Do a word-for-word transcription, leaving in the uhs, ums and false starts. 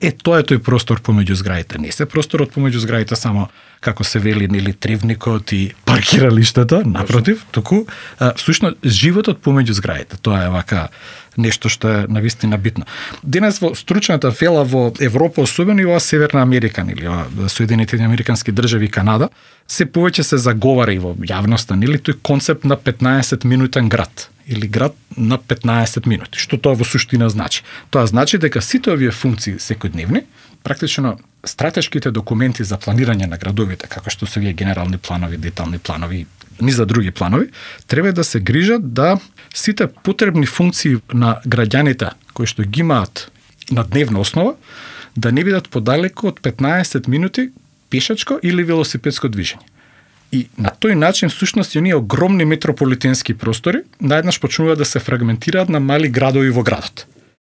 Е, тоа е тој простор помеѓу зградите. Не се просторот помеѓу зградите само како се вели нели тривникот и паркиралиштата, напротив, туку всушност животот помеѓу зградите. Тоа е вака нешто што е навистина битно. Денес во стручната фела во Европа, особено и во Северна Америка или во Соединетите американски држави, Канада, се повеќе се заговара и во јавноста, нели тој концепт на петнаесет минутен град или град на петнаесет минути. Што тоа во суштина значи? Тоа значи дека сите овие функции секојдневни, практично стратешките документи за планирање на градовите, како што се овие генерални планови, детални планови, ни за други планови, треба да се грижат да сите потребни функции на граѓаните кои што ги имаат на дневна основа, да не бидат подалеку од петнаесет минути пешачко или велосипедско движење. И на тој начин, всушност, оние огромни метрополитенски простори наеднаш почнуваат да се фрагментираат на мали градови во градот.